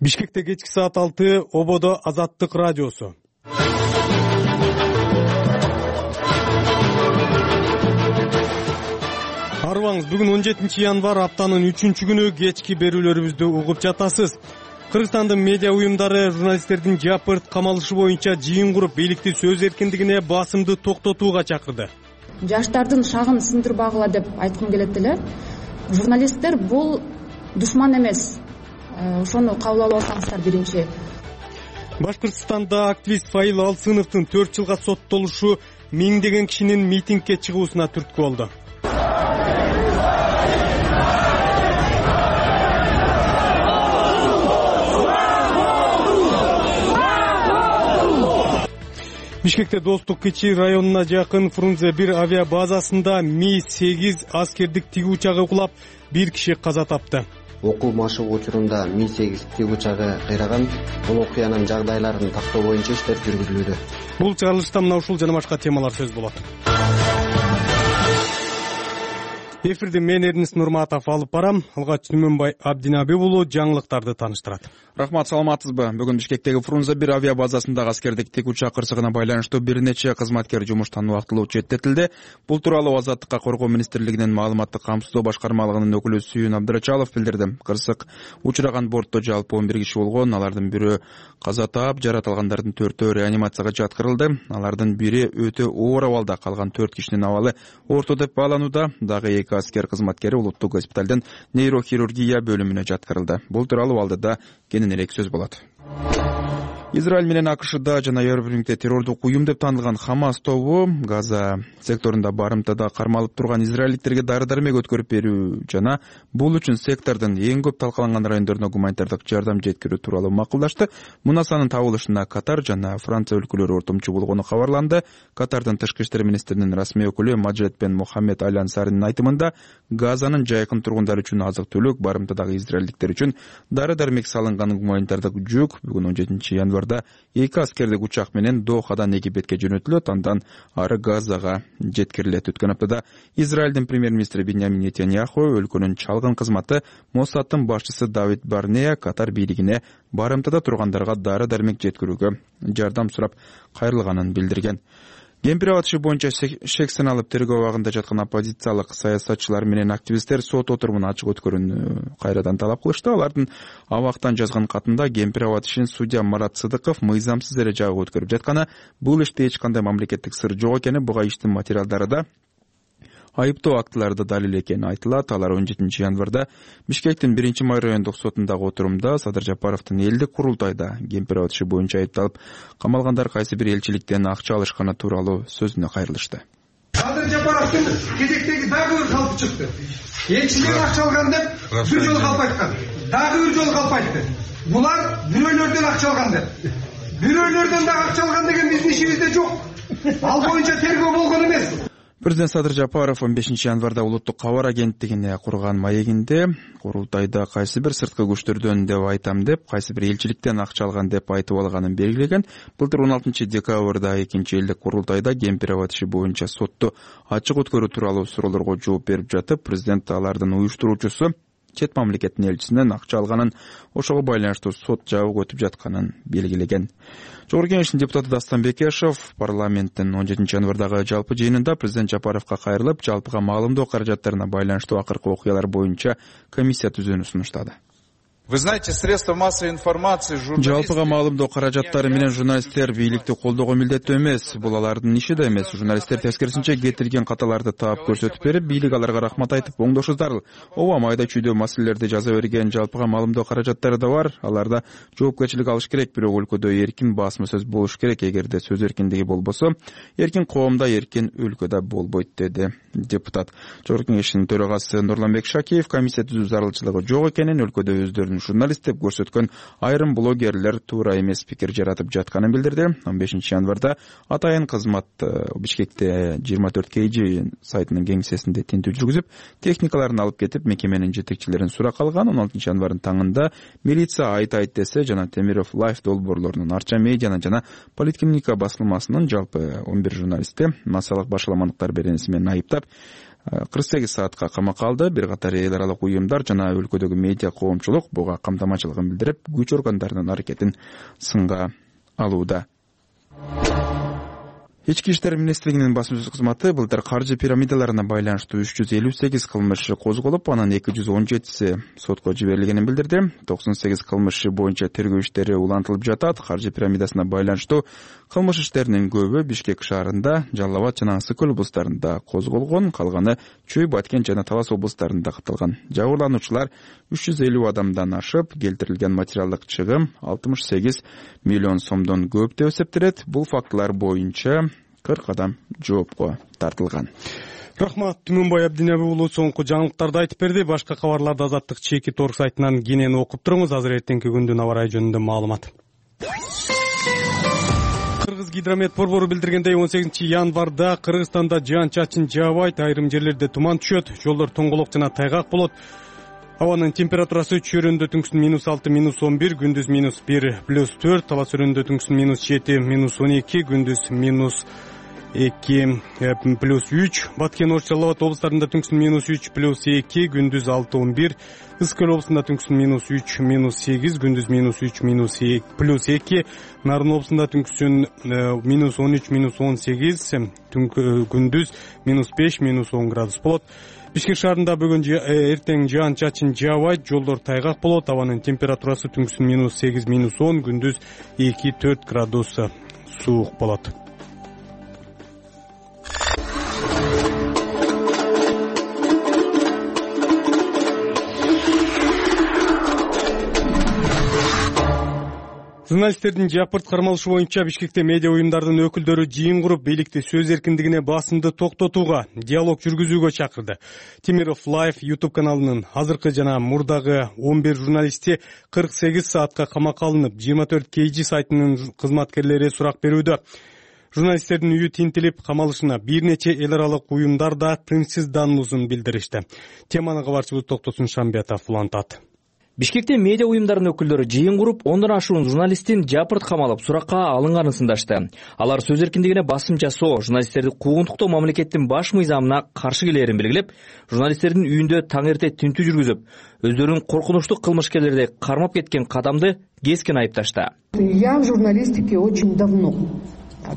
Бишкекте кечки саат 6 ободо Азаттык радиосу. Арыбаңыз, бүгүн 17 январь, аптанын 3-күнү, кечки берүүлөрүбүздү угуп жатасыз. Кыргызстандын медиа уюмдары журналисттердин жапырт камалышы боюнча жыйын куруп, бийликти сөз эркиндигине басымды токтотууга чакырды. Жаштардын шагын сындырбагыла деп айткым келет эле. Журналисттер бул душман эмес. Ошону кабыл алып алсаңыздар биринчи. Башкыртстанда активист Фаил Алсыновдун 4 жылга соттолушу миңдеген кишинин митингге чыгуусуна түрткү болду. Бишкекте Достук Кичи районуна жакын Фрунзе 1 авиа базасында Ми-8 аскердик тиги учагы кулап, 1 киши каза тапты. Окуу машыгуу учурунда Ми-8 тиги учагы кыйраган. Бул окуянын жагдайларын тактоо боюнча иштер жүргүзүлүүдө. Бул чыгарылышта мына ушул жана башка темалар сөз болот. Эфирди мен Эрнис Нурматов алып барам. Алгач Түмөнбай Абдинабек уулу жаңылыктарды тааныштырат. Рахмат, саламатсызбы? Бүгүн Бишкектеги Фрунзе 1 авиа базасындагы аскердик тик учак кырсыгына байланыштуу бир нече кызматкер жумуштан убактылуу четтетилди. Бул тууралуу Азаттыкка коргоо министрлигинин маалыматтык камсыздоо башкармалыгынын өкүлү Сүйүн Абдырачалов билдирди. Кырсык учураган бортто жалпы 11 киши болгон. Алардын бирөө каза таап, жаратылгандардын 4-өө реанимацияга жаткырылды. Алардын бири өтө оор абалда, калган 4 кишинин абалы орто деп бааланууда. Дагы 2 аскер кызматкери улуттук госпиталдын нейрохирургия бөлүмүнө жаткырылды. Бул тууралуу алдыда кененирээк сөз болот. Израиль менен АКШда жана Европа террордук уюм деп танылган Хамас тобу Газа секторунда барымтада кармалып турган израилдиктерге дары-дармек өткөрүп берүү жана бул үчүн сектордун эң көп талкаланган райондоруна гуманитардык жардам жеткирүү тууралуу макулдашты. Мунасанын табылышына Катар жана Франция өлкөлөрү ортомчу болгону кабарланды. Катардын тышкы иштер министринин расмий өкүлү Маджид бен Мухаммед Аль Ансаринин айтымында, Газанын жайкын тургундары үчүн азык-түлүк, барымтадагы израилдиктер үчүн дары-дармек салынган гуманитардык жүк бүгүн 17 январда 2 аскердик учак менен Дохадан Египетке жөнөтүлөт, андан ары Газага жеткирилет. Өткөн аптада Израилдин премьер-министри Биньямин Нетаньяху өлкөнүн чалгын кызматы Моссадтын башчысы Давид Барнея Катар бийлигине барымтада тургандарга дары-дармек жеткирүүгө жардам сурап кайрылганын билдирген. Кемпир абатышы боюнча шексин алып тергөө абагында жаткан оппозициялык саясатчылар менен активисттер сот отурумун ачык өткөрүүнү кайрадан талап кылышты. Алардын абактан жазган катында Кемпир абатышын судья Марат Сыдыков мыйзамсыз эре жабып өткөрүп жатканы, бул иште эч кандай мамлекеттик сыр жок экени, буга иштин материалдары да айыптоо актылары да далил экени айтылат. Алар 17 январда Бишкектин 1-май райондук сотундагы отурумда Садыр Жапаровдун элдик курултайда Кемпир абатышы боюнча айыпталып камалгандар кайсы бир элчиликтен акча алышканы тууралуу сөзүнө кайрылышты. Садыр Жапаровдун кезектеги дагы бир калпы чыкты. Элчилер акча алган деп бир жолу калп айткан. Дагы бир жолу калп айтты. Булар бирөөлөрдөн акча алган деп. Бирөөлөрдөн дагы акча алган деген биздин ишибизде жок. Ал боюнча тергөө болгон эмес. Президент Садыр Жапаров 15 январда улуттук кабар агенттигине курган маегинде курултайда кайсы бир сырткы күчтөрдөн деп айтам деп, кайсы бир элчиликтен акча алган деп айтып алганын белгилеген. Былтыр 16 декабрда 2 элдик курултайда Кемпир абатышы боюнча сотту ачык өткөрүү тууралуу суроолорго жооп берип жатып, президент алардын уюштуруучусу чет мамлекеттин элчисинен акча алганын, ошого байланыштуу сот жабык өтүп жатканын белгилеген. Жогорку Кеңештин депутаты Дастан Бекешев парламенттин 17 январдагы жалпы жыйынында президент Жапаровго кайрылып, жалпыга маалымдоо каражаттарына байланыштуу акыркы окуялар боюнча комиссия түзүүнү сунуштады. Вы знаете, средства массовой информации, журналисты... Жалпыга маалымдоо каражаттары менен журналисттер бийликти колдоого милдеттүү эмес. Бул алардын иши да эмес. Журналисттер тескерисинче кетирген каталарды таап көрсөтүп берип, бийлик аларга рахмат айтып оңдошу зарыл. Ооба, майда чүйдө маселелерди жаза берген жалпыга маалымдоо каражаттары да бар. Аларда жоопкерчилик алыш керек, бирок өлкөдө эркин басма сөз болуш керек. Эгерде сөз эркиндиги болбосо, эркин коомдо, эркин өлкөдө болбойт, деди депутат. Жогорку Кеңештин төрагасы Нурланбек Шакиев комиссия түзүү зарылчылыгы жок экенин, өлкөдө өздөрүнүн журналист деп көрсөткөн айрым блогерлер туура эмес пикир жаратып жатканын билдирди. 15 январда атайын кызмат Бишкекте 24 KG сайтынын кеңсесинде тинтүү жүргүзүп, техникаларын алып кетип, мекеменин жетекчилерин суракка алган. 16 январдын таңында милиция айт десе жана Темиров Лайф долбоорлорунун Арча медианы жана Политкиника басылмасынын жалпы 11 журналисти массалык башаламандыктар беренеси менен айыптап, 48 саатка камакка алды. Бир катар эл аралык уюмдар жана өлкөдөгү медиа коомчулук буга камтамачылыгын билдирип, күч органдарынын аракетин сынга алууда. Ички иштер министрлигинин басма сөз кызматы былтыр каржы пирамидаларына байланыштуу 358 кылмыш козголуп, анын 217си сотко жиберилгенин билдирди. 98 кылмыш боюнча тергөө иштери улантылып жатат. Каржы пирамидасына байланыштуу кылмыш иштеринин көбү Бишкек шаарында, Жалал Абад жана Ысык Көл облустарында козголгон, калганы Чүй, Баткен жана Талас облустарында катталган. Жабырлануучулар 350 адамдан ашып, келтирилген материалдык чыгым 68 миллион сомдон көп деп эсептелет. Бул фактылар боюнча 40 адам жоопко тартылган. Рахмат, Түмөнбай Абдинаби уулу соңку жаңылыктарды айтып берди. Башка кабарларды Азаттык чеки торг сайтынан кенен окуп туруңуз. Азыр эртеңки күндүн аба ырайы жөнүндө маалымат. Кыргыз гидромет борбору билдиргендей 18 январда Кыргызстанда жаан-чачын жаабайт, айрым жерлерде туман түшөт, жолдор тоңголок жана тайгак болот. Абанын температурасы чөйрөндө түнкүсүн -6, -11, күндүз -1, +4, талас өрөндө түнкүсүн -7, -12, күндүз -2, +3, Баткен, Ош, Жалал Абад облустарында түнкүсүн -3, +2, күндүз 6-11, Ысык Көл облусунда түнкүсүн -3, -8, күндүз -3, +2, Нарын облусунда түнкүсүн -13, -18, күндүз -5, -10 градус болот. Бишкек шаарында бүгүн эртең жаан-чачын жаабайт, жолдор тайгак болот. Абанын температурасы түнкүсүн -8, -10, күндүз 2-4 градус суук болот. Журналисттердин жапырт кармалышы боюнча Бишкекте медиа уюмдардын өкүлдөрү жыйын куруп, бийликти сөз эркиндигине басымды токтотууга, диалог жүргүзүүгө чакырды. Темиров Live YouTube каналынын азыркы жана мурдагы 11 журналисти 48 саатка камакка алынып, 24 KG сайтынын кызматкерлери сурак берүүдө. Журналисттердин үйү тинтилип, камалышына бир нече эл аралык уюмдар да тынчсыздануусун билдиришти. Теманы кабарчыбыз Токтосун Шамбетов улантат. Бишкекте медиа уюмдарынын өкүлдөрү жыйын куруп, ондон ашуун журналисттин жапырт камалып, суракка алынганын сындашты. Алар сөз эркиндигине басым жасоо, журналисттерди куугунтуктоо мамлекеттин баш мыйзамына каршы келээрин белгилеп, журналисттердин үйүндө таң эрте тинтүү жүргүзүп, өздөрүнүн коркунучтуу кылмышкерлерди кармап кеткен кадамды кескен айыпташты. Я в журналистике очень давно.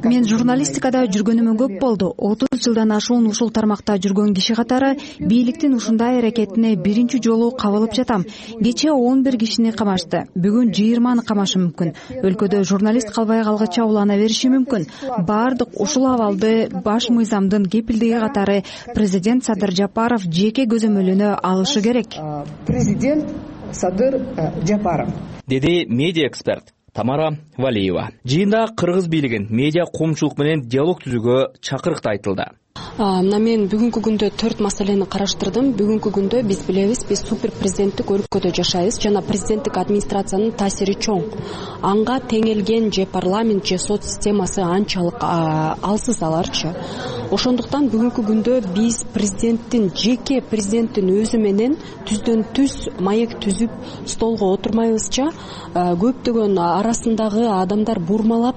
Мен журналистикада жүргөнүмө көп болду. 30 жылдан ашуун ушул тармакта жүргөн киши катары бийликтин ушундай аракетине биринчи жолу кабылып жатам. Кечээ 11 кишини камашты. Бүгүн 20-ны камашы мүмкүн. Өлкөдө журналист калбай калгыча улана бериши мүмкүн. Бардык ушул абалды баш мыйзамдын кепилдиги катары президент Садыр Жапаров жеке көзөмөлүнө алышы керек. Президент Садыр Жапаров, деди медиа эксперт Тамара Валиева. Жыйында кыргыз бийлигин медиа коомчулук менен диалог түзүүгө чакырыкты айтылды. Мына мен бүгүнкү күндө 4 маселени караштырдым. Бүгүнкү күндө биз билебиз, биз супер президенттик өлкөдө жашайбыз жана президенттик администрациянын таасири чоң. Анга теңелген же парламент же сот системасы анчалык алсыз аларчы. Ошондуктан бүгүнкү күндө биз президенттин жеке президенттин өзү менен түздөн түз маек түзүп столго отурмайбызча, көптөгөн арасындагы адамдар бурмалап,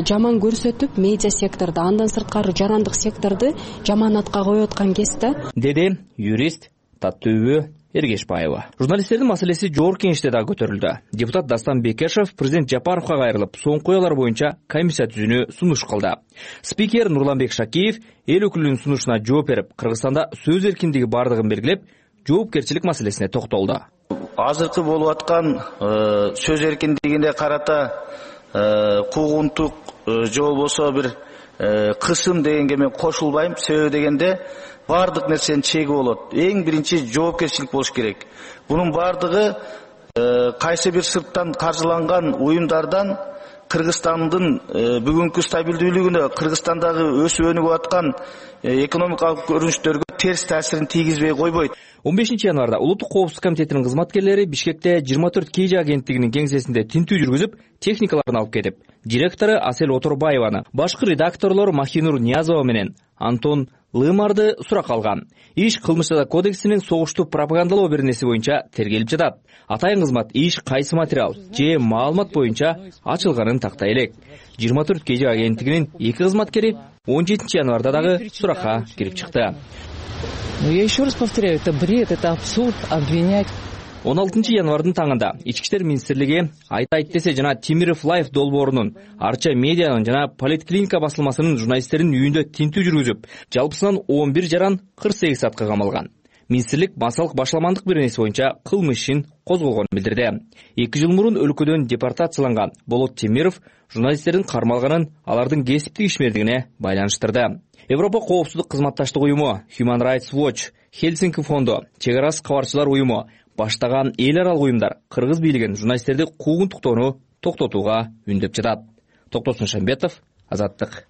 жаман көрсөтүп медиа секторду, андан сырткары жарандык секторду жаманатка коюп аткан кезде, деди юрист Таттөбү Эргешбаева. Журналисттердин маселеси жогорку кеңеште да көтөрүлдү. Депутат Дастан Бекешев президент Жапаровго кайрылып, соңку уялар боюнча комиссия түзүүнү сунуш кылды. Спикер Нурланбек Шакиев эл өкүлүнүн сунушуна жооп берип, Кыргызстанда сөз эркиндиги бардыгын белгилеп, жоопкерчилик маселесине токтолду. Азыркы болуп аткан сөз эркиндигине карата куугунтук же болбосо бир кысым дегенге мен кошулбайм. Себеби дегенде бардык нерсенин чеги болот. Эң биринчи жоопкерчилик болуш керек. Бунун бардыгы кайсы бир сырттан каржыланган уюмдардан Кыргызстандын бүгүнкү стабилдүүлүгүнө, Кыргызстандагы өсүп өнүгүп аткан экономикалык көрүнүштөргө терс таасирин тийгизбей койбойт. 15 январда Улуттук коопсуздук комитетинин кызматкерлери Бишкекте 24 KG агенттигинин кеңсесинде тинтүү жүргүзүп, техникаларын алып кетип, директору Асель Оторбаеваны, башкы редакторлор Махинур Ниязова менен Антон Лымарды сурак алган. Иш кылмыш жаза кодексинин согушту пропагандалоо беренеси боюнча тергелип жатат. Атайын кызмат иш кайсы материал же маалымат боюнча ачылганын тактай элек. 24 KG агенттигинин 2 кызматкери 17 январда дагы суракка кирип чыкты. Я еще раз повторяю, это бред, это абсурд обвинять. 16 январдын таңында Ички иштер министрлиги Айт десе жана Темиров Лайф долбоорунун, Арча медианын жана Политклиника басылмасынын журналисттердин үйүндө тинтүү жүргүзүп, жалпысынан 11 жаран 48 саатка камалган. Министрлик массалык башламандык беренеси боюнча кылмыш ишин козголгонун билдирди. 2 жыл мурун өлкөдөн депортацияланган Болот Темиров журналисттердин кармалганын алардын кесиптик ишмердигине байланыштырды. Европа коопсуздук кызматташтык уюму, Human Rights Watch, Хельсинки фонду, Чек арасы кабарчылар уюму баштаган эл аралык уюмдар кыргыз бийлигин журналисттерди куугунтуктоону токтотууга үндөп жатат. Токтосун Шамбетов, Азаттык.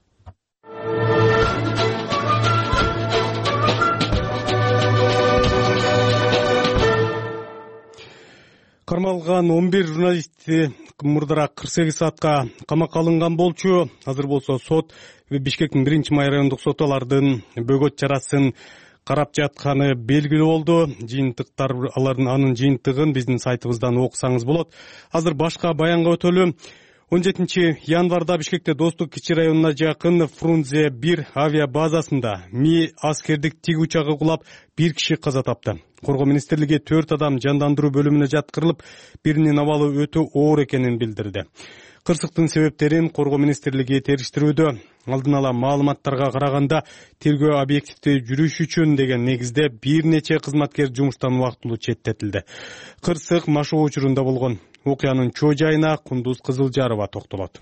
Кармалган 11 журналисти мурдараак 48 саатка камакка алынган болчу. Азыр болсо сот Бишкектин 1-май райондук соту алардын бөгөт чарасын карап жатканы белгилүү болду. Жыйынтыктар анын жыйынтыгын биздин сайтыбыздан окусаңыз болот. Азыр башка баянга өтөлү. 17 январда Бишкекте Достук кичи районуна жакын Фрунзе 1 авиа базасында Ми аскердик тиг учагы кулап 1 киши каза тапты. Коргоо министрлиги 4 адам жандандыруу бөлүмүнө жаткырылып, биринин абалы өтө оор экенин билдирди. Кырсыктын себептерин Коргоо министрлиги териштирүүдө. Алдын ала маалыматтарга караганда тергөө объективдүү жүрүш үчүн деген негизде бир нече кызматкер жумуштан убактылуу четтетилди. Кырсык машоо учурунда болгон. Окуянын чоо жайына Кундуз Кызылжарова токтолот.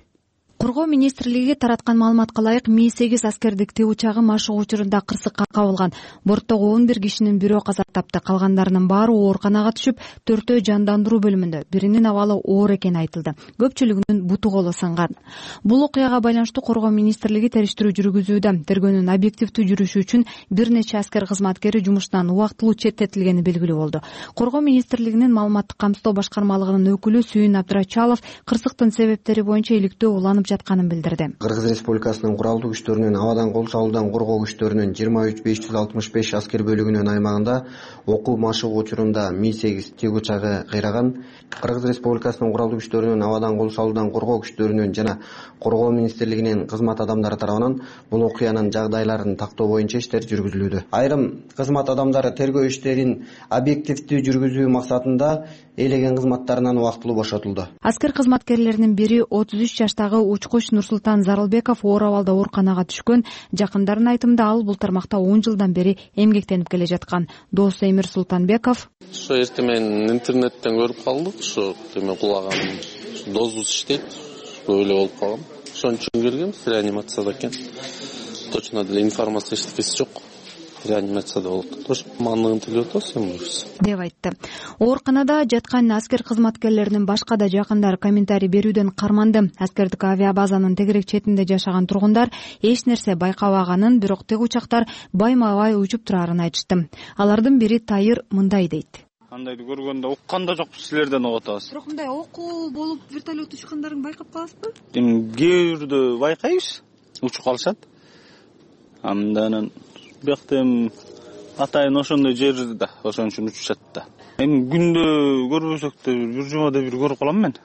Коргоо министрлиги тараткан маалыматка ылайык Ми-8 аскердик тиг учагы машыгуу учурунда кырсыкка кабылган. Борттогу 11 кишинин бирөө каза тапты. Калгандарынын баары ооруканага түшүп, 4-өө жандандыруу бөлүмүндө. Биринин абалы оор экени айтылды. Көпчүлүгүнүн буту колу сынган. Бул окуяга байланыштуу Коргоо министрлиги териштирүү жүргүзүүдө. Тергөөнүн объективдүү жүрүшү үчүн бир нече аскер кызматкери жумуштан убактылуу четтетилгени белгилүү болду. Коргоо министрлигинин маалыматтык камсыздоо башкармалыгынын өкүлү Сүйүн Абдрачалов кырсыктын себептери боюнча иликтөө уланып жатканын билдирди. Кыргыз Республикасынын куралдуу күчтөрүнүн абадан кол салуудан коргоо күчтөрүнүн 23565 аскер бөлүгүнүн аймагында окуу машыгуу учурунда Ми-8 тиг учагы кыйраган. Кыргыз Республикасынын куралдуу күчтөрүнүн абадан кол салуудан коргоо күчтөрүнүн жана Коргоо министрлигинин кызмат адамдары тарабынан бул окуянын жагдайларын тактоо боюнча иштер жүргүзүлүүдө. Айрым кызмат адамдары тергөө иштерин объективдүү жүргүзүү максатында ээлеген кызматтарынан убактылуу бошотулду. Аскер кызматкерлеринин бири 33 жаштагы Учкуч Нурсултан Зарылбеков оор абалда ооруканага түшкөн. Жакындарынын айтымында ал бул тармакта 10 жылдан бери эмгектенип келе жаткан. Досу Эмир Султанбеков: Ошо эртең менен интернеттен көрүп калдык, ошо теме кулаган дозубуз иштейт, өлө болуп калгам. Ошон үчүн келгенбиз, реанимацияда экен. Точно деле информация эчтекеси жок. Реанимацияда болуп атат. Мандыгын тилеп атабыз эмес деп айтты. Ооруканада жаткан аскер кызматкерлеринин башка да жакындары комментарий берүүдөн карманды. Аскердик авиабазанын тегерек четинде жашаган тургундар эч нерсе байкабаганын, бирок тиг учактар байма-бай учуп турарын айтышты. Алардын бири Тайыр мындай дейт: Андайды көргөндө уккан да жокпуз, силерден угуп атабыз. Бирок мындай окуу болуп вертолет учкандарын байкап каласызбы? Кээ бирдө байкайбыз, учуп калышат. Андан бияктан атайын ошондой жер да, ошон үчүн учушат да. Эми күндө көрбөсөк да бир жумада бир көрүп калам мен.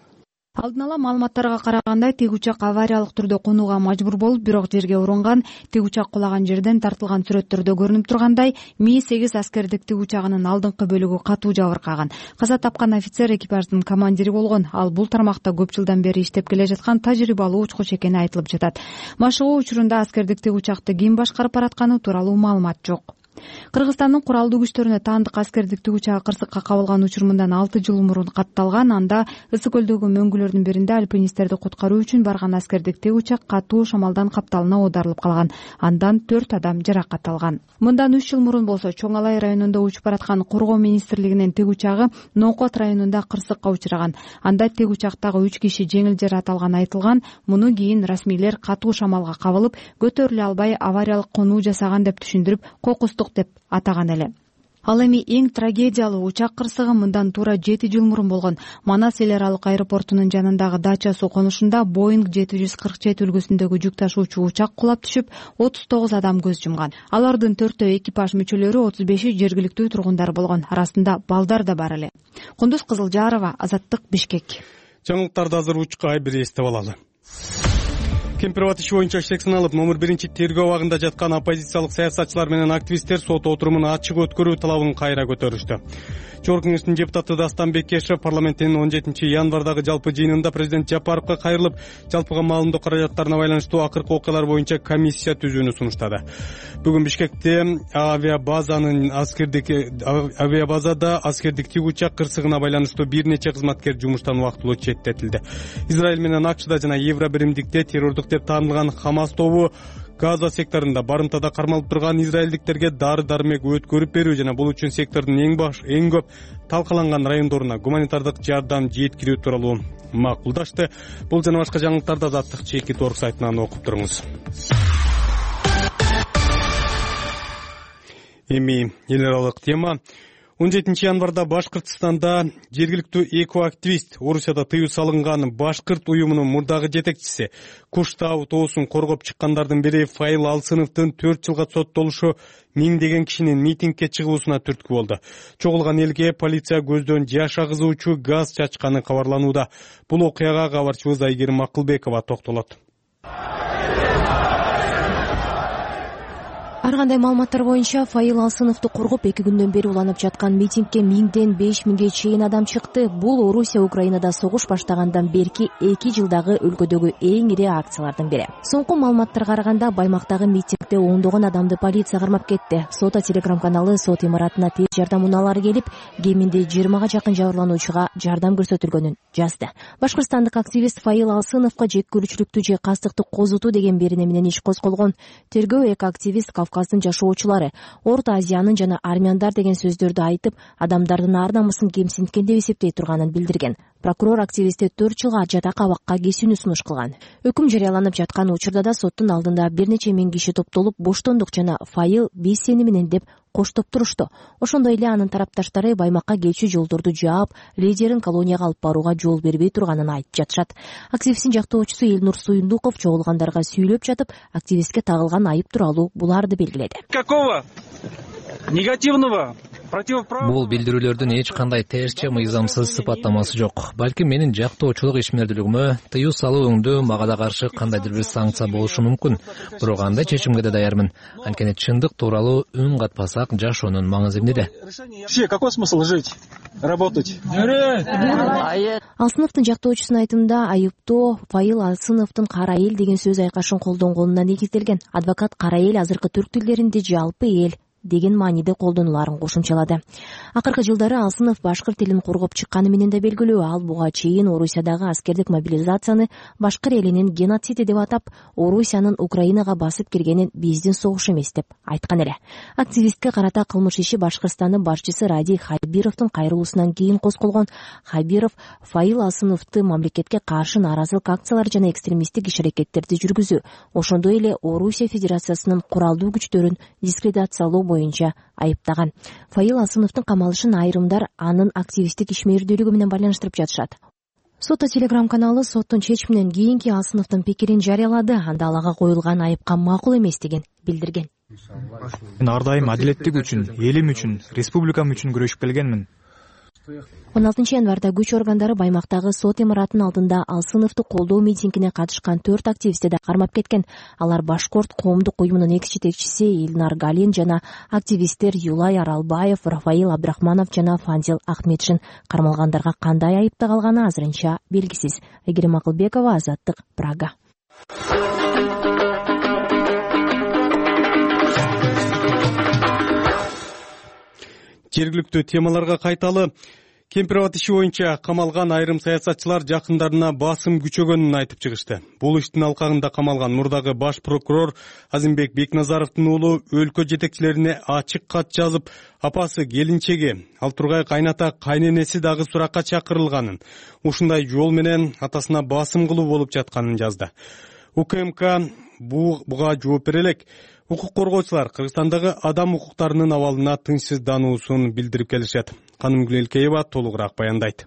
Алдын ала маалыматтарга караганда тиг учак авариялык түрдө конууга мажбур болуп, бирок жерге урунган. Тиг учак кулаган жерден тартылган сүрөттөрдө көрүнүп тургандай, Ми-8 аскердик тиг учагынын алдыңкы бөлүгү катуу жабыркаган. Каза тапкан офицер экипаждын командири болгон. Ал бул тармакта көп жылдан бери иштеп келе жаткан тажрыйбалуу учкуч экени айтылып жатат. Машыгуу учурунда аскердик тиг учакты ким башкарып баратканы тууралуу маалымат жок. Кыргызстандын куралдуу күчтөрүнө таандык аскердик тиг учагы кырсыкка кабылган учур мындан 6 жыл мурун катталган. Анда Ысык көлдөгү мөңгүлөрдүн биринде альпинисттерди куткаруу үчүн барган аскердик тиг учак катуу шамалдан капталына оодарылып калган. Андан 4 адам жаракат алган. Мындан 3 жыл мурун болсо Чоң Алай районунда учуп бараткан Коргоо министрлигинин тиг учагы Нокот районунда кырсыкка учураган. Анда тиг учактагы 3 киши жеңил жаракат алганы айтылган. Муну кийин расмийлер катуу шамалга кабылып, көтөрүлө албай авариялык конуу жасаган деп түшүндүрүп, кокустук деп атаган эле. Ал эми эң трагедиялуу учак кырсыгы мындан туура 7 жыл мурун болгон. Манас эл аралык аэропортунун жанындагы дача суу конушунда Boeing 747 үлгүсүндөгү жүк ташуучу учак кулап түшүп, 39 адам көз жумган. Алардын 4-өө экипаж мүчөлөрү, 35-и жергиликтүү тургундар болгон. Арасында балдар да бар эле. Кундуз Кызылжарова, Азаттык, Бишкек. Жаңылыктарды азыр учка бир эстеп алалы. Кемпир абад иши боюнча иштек саналып номер 1 тергөө абагында жаткан оппозициялык саясатчылар менен активисттер сот отурумун ачык өткөрүү талабын кайра көтөрүштү. Жогорку кеңештин депутаты Дастан Бекешев парламенттин 17 январдагы жалпы жыйынында президент Жапаровго кайрылып, жалпыга маалымдоо каражаттарына байланыштуу акыркы окуялар боюнча комиссия түзүүнү сунуштады. Бүгүн Бишкекте авиабазада аскердик тик учак кырсыгына байланыштуу бир нече кызматкер жумуштан убактылуу четтетилди. Израиль менен АКШда жана Евро биримдикте террордук деп таанылган Хамас тобу Газа секторунда барымтада кармалып турган израилдиктерге дары-дармек өткөрүп берүү жана бул үчүн сектордун эң көп талкаланган райондоруна гуманитардык жардам жеткирүү тууралуу макулдашты. Бул жана башка жаңылыктарды Азаттык чекит орг сайтынан окуп туруңуз. Эми эл аралык тема. 17 январда Башкыртстанда жергиликтүү экоактивист Орусияда тыюу салынган Башкырт уюмунун мурдагы жетекчиси Куштау тоосун коргоп чыккандардын бири Файыл Алсыновдун 4 жылга соттолушу миңдеген кишинин митингге чыгуусуна түрткү болду. Чогулган элге полиция көздөн жаш агызуучу газ чачканы кабарланууда. Бул окуяга кабарчыбыз Айгерим Акылбекова токтолот. Ар кандай маалыматтар боюнча Файыл Алсыновду коргоп 2 күндөн бери уланып жаткан митингге 1000ден 5000ге чейин адам чыкты. Бул Орусия Украинада согуш баштагандан берки 2 жылдагы өлкөдөгү эң ири акциялардын бири. Соңку маалыматтарга караганда баймактагы митингде ондогон адамды полиция кармап кетти. Сота телеграм-каналы сот имаратына тез жардам унаалары келип, кеминде 20га жакын жабырлануучуга жардам көрсөтүлгөнүн жазды. Башкырстандык активист Файыл Алсыновго жек көрүүчүлүктү же кастыктык козутуу деген берене менен иш козголгон. Тергөө экоактивист Кавказдын жашоочулары Орто Азиянын жана армяндар деген сөздөрдү айтып, адамдардын ар намысын кемсинткен деп эсептей турганын билдирген. Прокурор активистти 4 жылга жатак абакка кесүүнү сунуш кылган. Өкүм жарыяланып жаткан учурда да соттун алдында бир нече миң киши топтолуп, боштондук жана Файыл биз сени менен деп коштоп турушту. Ошондой эле анын тарапташтары баймакка келчү жолдорду жаап, лидерин колонияга алып барууга жол бербей турганын айтып жатышат. Активисттин жактоочусу Элнур Суюндуков чогулгандарга сүйлөп жатып, активистке тагылган айып тууралуу буларды белгиледи. Какого негативного Бул билдирүүлөрдүн эч кандай терсче мыйзамсыз сыпаттамасы жок. Балким менин жактоочулук ишмердүүлүгүмө, тыюу салууңдуу мага да каршы кандайдыр бир санкция болушу мүмкүн. Бирок андай чечимге да даярмын. Анткени чындык тууралуу үн катпасак, жашоонун маңызы эмнеде? Вообще, какой смысл жить, работать? Алсыновдун жактоочусунун айтымында, айыптоо Файыл Алсыновдун кара эл деген сөз айкашын колдонгонуна негизделген. Адвокат кара эл азыркы түрк тилдеринде жалпы эл деген мааниде колдонуларын кошумчалады. Акыркы жылдары Алсынов башкырт тилин коргоп чыкканы менен да белгилүү. Ал буга чейин Орусиядагы аскердик мобилизацияны башкыр элинин геноциди деп атап, Орусиянын Украинага басып киргенин биздин согуш эмес деп айткан эле. Активистке карата кылмыш иши Башкырстандын башчысы Ради Хайбировдун кайрылуусунан кийин козголгон. Хайбиров Файыл Алсыновду мамлекетке каршы нааразылык акциялар жана экстремисттик иш-аракеттерди жүргүзүү, ошондой эле Орусия Федерациясынын куралдуу күчтөрүн дискредитациялоо боюнча айыптаган. Файыл Алсыновдун камалышын айрымдар анын активисттик ишмердүүлүгү менен байланыштырып жатышат. Сота телеграм-каналы соттун чечиминен кийинки Алсыновдун пикирин жарыялады. Анда алага коюлган айыпка макул эместигин билдирген. Мен ар дайым адилеттик үчүн, элим үчүн, республикам үчүн күрөшүп келгенмин. 16 январда күч органдары баймактагы сот имаратынын алдында Алсыновду колдоо митингине катышкан 4 активистти да кармап кеткен. Алар Башкорт коомдук уюмунун экс-жетекчиси Илнар Галин жана активисттер Юлай Аралбаев, Рафаил Абдрахманов жана Фанзил Ахметшин. Кармалгандарга кандай айыпта калганы азырынча белгисиз. Айгерим Акылбекова, Азаттык, Прага. Жергиликтүү темаларга кайталы. Кемпир абад иши боюнча камалган айрым саясатчылар жакындарына басым күчөгөнүн айтып чыгышты. Бул иштин алкагында камалган мурдагы баш прокурор Азимбек Бекназаровдун уулу өлкө жетекчилерине ачык кат жазып, апасы, келинчеги, ал тургай кайната, кайненеси дагы суракка чакырылганын, ушундай жол менен атасына басым кылуу болуп жатканын жазды. УКМК буга жооп бере элек. Укук коргоочулар Кыргызстандагы адам укуктарынын абалына тынчсыздануусун билдирип келишет. Канымгүл Элкеева толугураак баяндайт.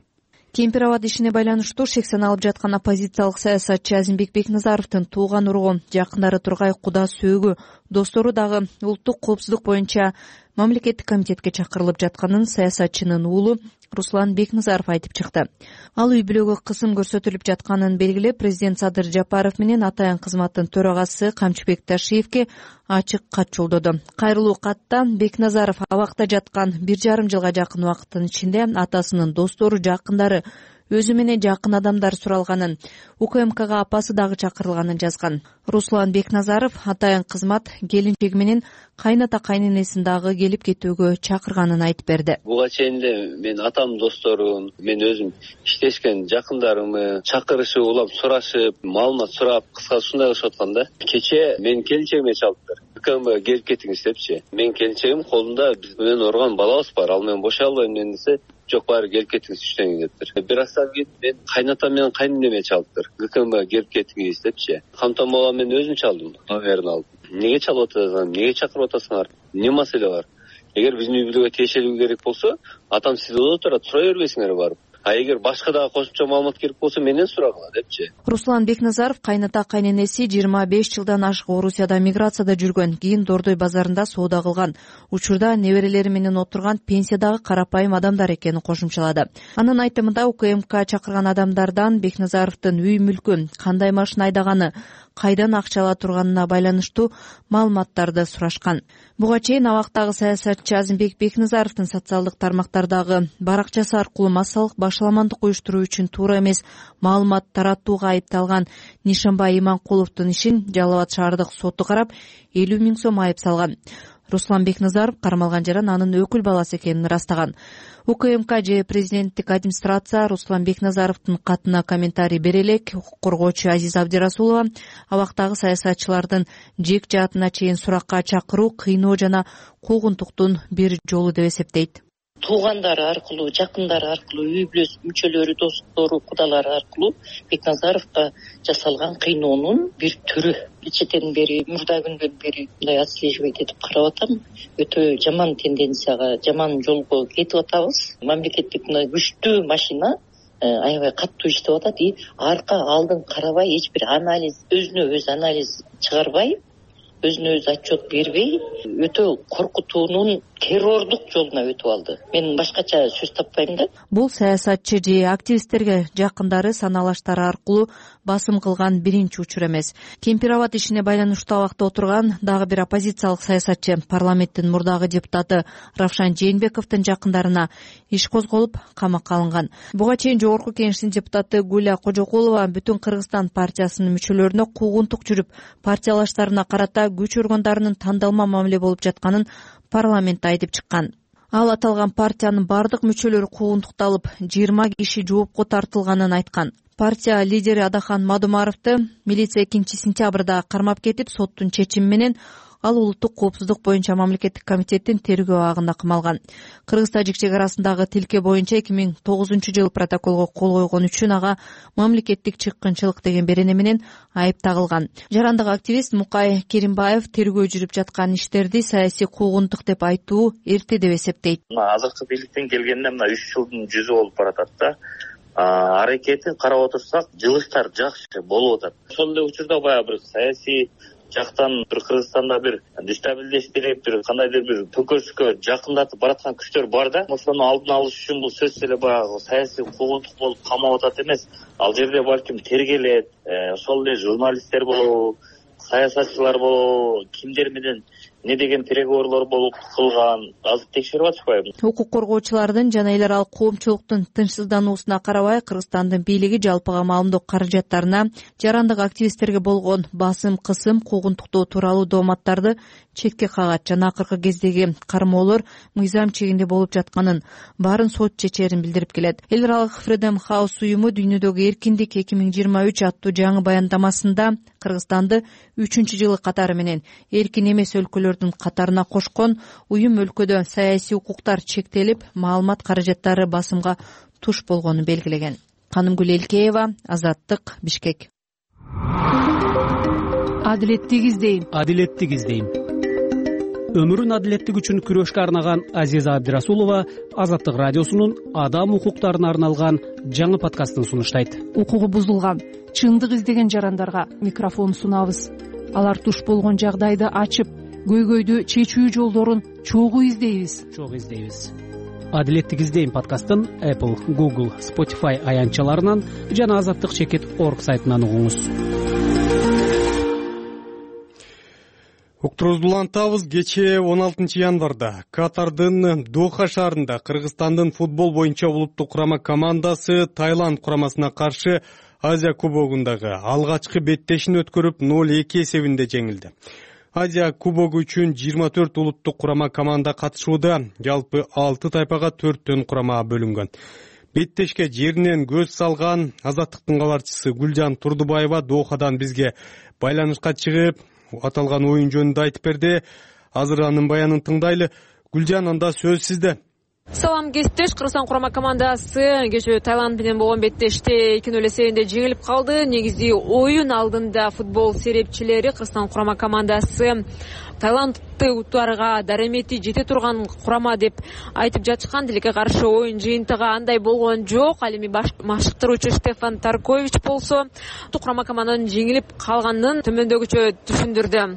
Кемпир абад ишине байланыштуу шек саналып жаткан оппозициялык саясатчы Азимбек Бекназаровдун тууган ургу, жакындары Тургай Куда сөөгү, достору дагы улуттук коопсуздук боюнча мамлекеттик комитетке чакырылып жатканын саясатчынын уулу Руслан Бекназаров айтып чыкты. Ал үй бүлөгө кысым көрсөтүлүп жатканын белгилеп, президент Садыр Жапаров менен Атайын кызматтын төрагасы Камчыбек Ташиевке ачык кат жолдоду. Кайрылуу катта Бекназаров абакта жаткан 1,5 жылга жакын убакыттын ичинде атасынын достору, жакындары, өзү менен жакын адамдар суралганын, УКМКга апасы дагы чакырылганын жазган. Руслан Бекназаров Атайын кызмат келинчеги менен кайната кайненесин дагы келип кетүүгө чакырганын айтып берди. Буга чейин мен атамдын досторун, мен өзүм иштешкен жакындарымы чакырышып, улап сурашып, маалымат сурап, кыскасы ушундай кылышып аткан да. Кече мен келинчегиме чалдыптыр. УКМКга келип кетиңиз депчи. Мен келинчегим колунда биз менен урган балабыз бар, ал менен бошой албайм десе, жок баары келип кетиңиз түштөн дептир. Бир аздан кийин мен кайнатам менен кайненеме чалыптыр. УКМКга келип кетиңиз депчи. Камтан бала мен өзүм чалдым, номерин алып. Неге чалып атасың? Неге чакырып атасыңар? Эмне маселе бар? Эгер биздин үй бүлөгө тиешелүү керек болсо, атам сизде отурат, сура бербейсиңер барып. А эгер башка дагы кошумча маалымат керек болсо, менен сурагыла депчи. Руслан Бекназаров кайната кайненеси 25 жылдан ашык Орусияда миграцияда жүргөн, кийин Дордой базарында соода кылган. Учурда неберелери менен отурган пенсиядагы карапайым адамдар экенин кошумчалады. Анын айтымында УКМК чакырган адамдардан Бекназаровдун үй мүлкү, кандай машина айдаганы, кайдан акча ала турганына байланыштуу маалыматтарды сурашкан. Буга чейин абактагы саясатчы Азимбек Бекназаровдун социалдык тармактардагы баракчасы аркылуу массалык башаламандык уюштуруу үчүн туура эмес маалымат таратууга айыпталган Нишанбай Иманкуловдун ишин Жалал Абад шаардык соту карап 50 000 сом айып салган. Руслан Бекназаров кармалган жаран анын өкүл баласы экенин ырастаган. УКМК же президенттик администрация Руслан Бекназаровдун катына комментарий бере элек, укук коргоочу Азиза Абдирасулова абактагы саясатчылардын жек жаатына чейин суракка чакыруу кыйноо жана куугунтуктун бир жолу деп эсептейт. Туугандары аркылуу, жакындары аркылуу, үй бүлө мүчөлөрү, достору, кудалары аркылуу Бекназаровго жасалган кыйноонун бир түрү. Кечеден бери, мурда күндөн бери мындай отслеживать этип карап атам. Өтө жаман тенденцияга, жаман жолго кетип атабыз. Мамлекеттик мындай күчтүү машина аябай катуу иштеп атат и арка алдын карабай, эч бир анализ, өзүнө өзү анализ чыгарбай, өзүнө өзү отчет бербей, өтө коркутуунун террордук жолуна өтүп алды. Мен башкача сөз таппайм да. Бул саясатчы же активисттерге жакындары саналаштары аркылуу басым кылган биринчи учур эмес. Кемпирабад ишине байланыштуу абакта отурган дагы бир оппозициялык саясатчы, парламенттин мурдагы депутаты Равшан Жээнбековдун жакындарына иш козголуп, камакка алынган. Буга чейин Жогорку Кеңештин депутаты Гуля Кожокулова Бүтүн Кыргызстан партиясынын мүчөлөрүнө куугунтук жүрүп, партиялаштарына карата күч органдарынын тандалма мамиле болуп жатканын парламентте айтып чыккан. Ал аталган партиянын бардык мүчөлөрү куугунтукталып, 20 киши жоопко тартылганын айткан. Партия лидери Адахан Мадумаровду милиция 2-сентябрда кармап кетип, соттун чечими менен ал улуттук коопсуздук боюнча мамлекеттик комитеттин тергөө абагында камалган. Кыргыз-Тажик чек арасындагы тилке боюнча 2009-жылы протоколго кол койгон үчүн ага мамлекеттик чыккынчылык деген берене менен айып тагылган. Жарандык активист Мукай Керимбаев тергөө жүрүп жаткан иштерди саясий куугунтук деп айтуу эрте деп эсептейт. Азыркы бийликтен келгенде мына 3 жылдын жүзү болуп баратат да. Аракетин карап отурсак, жылыштар жакшы болуп атат. Ошол эле учурда баягы бир саясий жактан бир Кыргызстанда бир дестабилдештирип, бир кандайдыр бир төкөрүскө жакындатып бараткан күчтөр бар да. Ошону алдын алыш үчүн бул сөзсүз эле баягы саясий куугунтук болуп камап атат эмес. Ал жерде балким тергелет, ошол эле журналисттер болобу, саясатчылар болобу, кимдер менен не деген переговорлор болуп кылган, азыр текшерип атышпайбы? Укук коргоочулардын жана эл аралык коомчулуктун тынчсыздануусуна карабай, Кыргызстандын бийлиги жалпыга маалымдоо каражаттарына жарандык активисттерге болгон басым, кысым, куугунтуктоо тууралуу дооматтарды четке кагат жана акыркы кездеги кармоолор мыйзам чегинде болуп жатканын, баарын сот чечерин билдирип келет. Эл аралык Freedom House уюму дүйнөдөгү эркиндик 2023 аттуу жаңы баяндамасында Кыргызстанды 3-жылы катары менен эркин эмес өлкөлөрдүн катарына кошкон. Уюм өлкөдө саясий укуктар чектелип, маалымат каражаттары басымга туш болгонун белгилеген. Канымгүл Элкеева, Азаттык, Бишкек. Адилеттик издейм. Адилеттик издейм. Өмүрүн адилеттик үчүн күрөшкө арнаган Азиза Абдирасулова Азаттык радиосунун адам укуктарына арналган жаңы подкастын сунуштайт. Укугу бузулган, чындык издеген жарандарга микрофон сунабыз. Алар туш болгон жагдайды ачып, көйгөйдү чечүү жолдорун чогуу издейбиз. Адилеттик издейм подкастын Apple, Google, Spotify аянтчаларынан жана azattik.org сайтынан угуңуз. Уктуруубузду улантабыз. Кечээ 16 январда Катардын Доха шаарында Кыргызстандын футбол боюнча улуттук курама командасы Таиланд курамасына каршы Азия кубогундагы алгачкы беттешин өткөрүп 0-2 эсебинде жеңилди. Азия кубогу үчүн 24 улуттук курама команда катышууда, жалпы 6 тайпага 4төн курама бөлүнгөн. Беттешке жеринен көз салган Азаттыктын кабарчысы Гүлжан Турдубаева Дохадан бизге байланышка чыгып, аталган оюн жөнүндө айтып берди. Азыр анын баянын тыңдайлы. Гүлжан, анда сөз сизде. Салам кесиптеш, Кыргызстан курама командасы кечээ Таиланд менен болгон беттеште 2-0 эсебинде жеңилип калды. Негизи оюн алдында футбол серепчилери Кыргызстан курама командасы Таиландты утаарга даремети жете турган курама деп айтып жатышкан. Тилекке каршы оюн жыйынтыгы андай болгон жок. Ал эми баштыктыруучу Стефан Таркович болсо курама команданын жеңилип калганын төмөндөгүчө түшүндүрдү.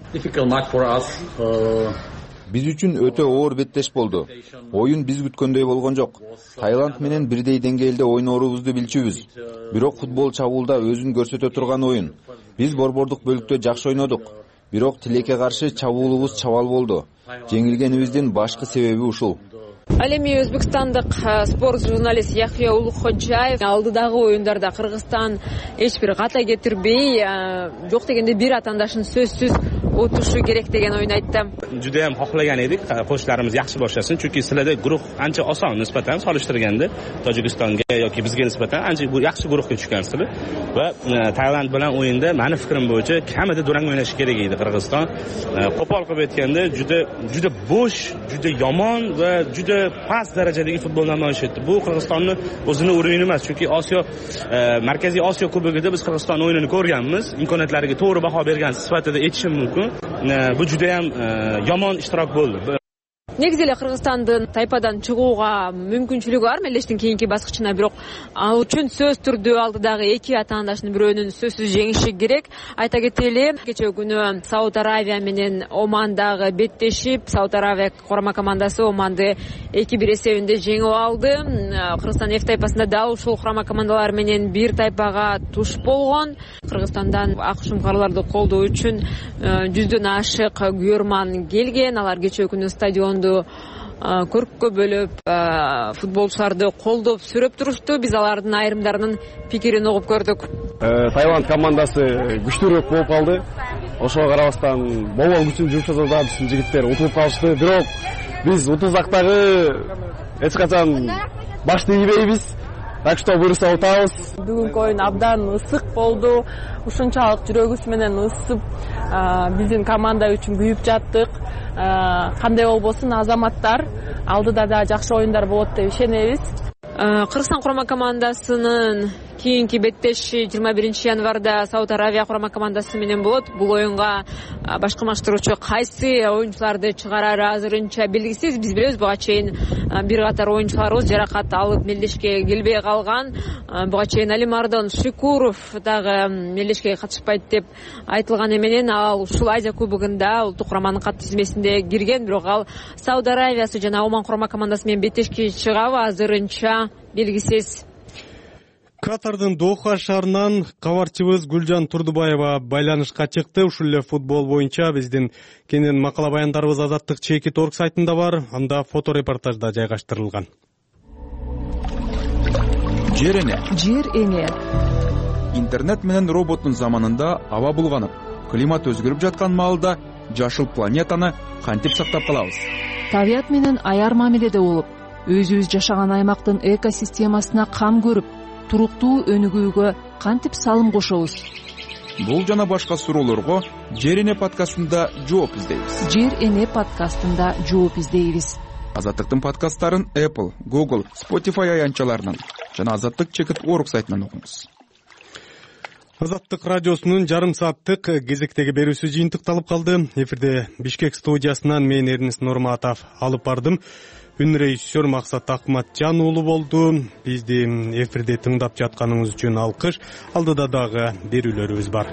Биз үчүн өтө оор беттеш болду. Оюн биз күткөндөй болгон жок. Таиланд менен бирдей деңгээлде ойноорубузду билчүбүз. Бирок футбол чабуулда өзүн көрсөтө турган оюн. Биз борбордук бөлүктө жакшы ойнодук. Бирок тилекке каршы чабуулубуз чабал болду. Жеңилгенибиздин башкы себеби ушул. Ал эми өзбекстандык спорт журналист Яхия Улукходжаев алдыдагы оюндарда Кыргызстан эч бир ката кетирбей, жок дегенде бир атаандашын сөзсүз отушу керек деген ойун айтты. Judayam xohlagan edik qo'shlarimiz yaxshi boshlasin, chunki sizlarda guruh ancha oson nisbatan solishtirganda Tojikistonga yoki bizga nisbatan ancha yaxshi guruhga tushgansizlar va Tailand bilan o'yinda meni fikrim bo'yicha kamida durang o'ynashi kerak edi Qirg'iziston. Qo'pol qilib aytganda juda bo'sh, juda yomon va juda past darajadagi futbol namoyish etdi. Bu Qirg'izistonni o'zini o'yini emas, chunki Osiyo Markaziy Osiyo kubogida biz Qirg'iziston o'yinini ko'rganmiz, imkoniyatlariga to'g'ri baho bergan sifatida aytishim mumkin. Bu judayam yomon ishtirok bo'ldi. Негизи эле Кыргызстандын тайпадан чыгууга мүмкүнчүлүгү бар мелдештин кийинки баскычына, бирок ал үчүн сөз түрдүү алдыдагы эки атаандашынын бирөөнүн сөзсүз жеңиши керек. Айта кетели, кечээ күнү Сауд Аравия менен Омандагы беттешип, Сауд Аравия курама командасы Оманды 2-1 эсебинде жеңип алды. Кыргызстан F тайпасында дал ушул курама командалар менен бир тайпага туш болгон. Кыргызстандан акшумкарларды колдоо үчүн 100дөн ашык күйөрман келген. Алар кечээ күнү стадионду көрккө бөлүп, футболчуларды колдоп сүрөп турушту. Биз алардын айрымдарынын пикирин угуп көрдүк. Таиланд командасы күчтүүрөөк болуп калды. Ошого карабастан болбол күчүн жумшаса да биздин жигиттер утулуп калышты. Бирок биз утуздактагы эч качан башты ийбейбиз. Так что буйруса утабыз. Бүгүнкү оюн абдан ысык болду. Ушунчалык жүрөгүбүз менен ысып, биздин команда үчүн күйүп жаттык. Кандай болбосун, азаматтар алдыда да жакшы оюндар болот деп ишенебиз. Кыргызстан курама командасынын кийинки беттеши 21 январда Сауд Аравия курама командасы менен болот. Бул оюнга башкы маштыруучу кайсы оюнчуларды чыгарары азырынча белгисиз. Биз билебиз, буга чейин бир катар оюнчуларыбыз жаракат алып мелдешке келбей калган. Буга чейин Алимардон Шикуров дагы мелдешке катышпайт деп айтылганы менен ал ушул Азия кубогунда улуттук кураманын кат тизмесинде кирген. Бирок ал Сауд Аравиясы жана Оман курама командасы менен беттешке чыгабы азырынча белгисиз. Катардын Доха шаарынан кабарчыбыз Гүлжан Турдубаева байланышка чыкты. Ушул эле футбол боюнча биздин кенен макала баяндарыбыз azattik.org сайтында бар. Анда фото репортаж да жайгаштырылган. Жер эне. Жер эне. Интернет менен роботтун заманында аба булганып, климат өзгөрүп жаткан маалда жашыл планетаны кантип сактап калабыз? Табият менен аяр мамиледе болуп, өзүбүз жашаган аймактын экосистемасына кам көрүп, туруктуу өнүгүүгө кантип салым кошобуз? Бул жана башка суроолорго Жер эне подкастында жооп издейбиз. Жер эне подкастында жооп издейбиз. Азаттыктын подкасттарын Apple, Google, Spotify аянтчаларынан жана azattik.org сайтынан окуңуз. Азаттык радиосунун жарым сааттык кезектеги берүүсү жыйынтыкталып калды. Эфирде Бишкек студиясынан мен Эрнест Нурматов алып бардым. Үн режиссер Максат Акматжан уулу болду. Бизди эфирде тыңдап жатканыңыз үчүн алкыш. Алдыда дагы берүүлөрүбүз бар.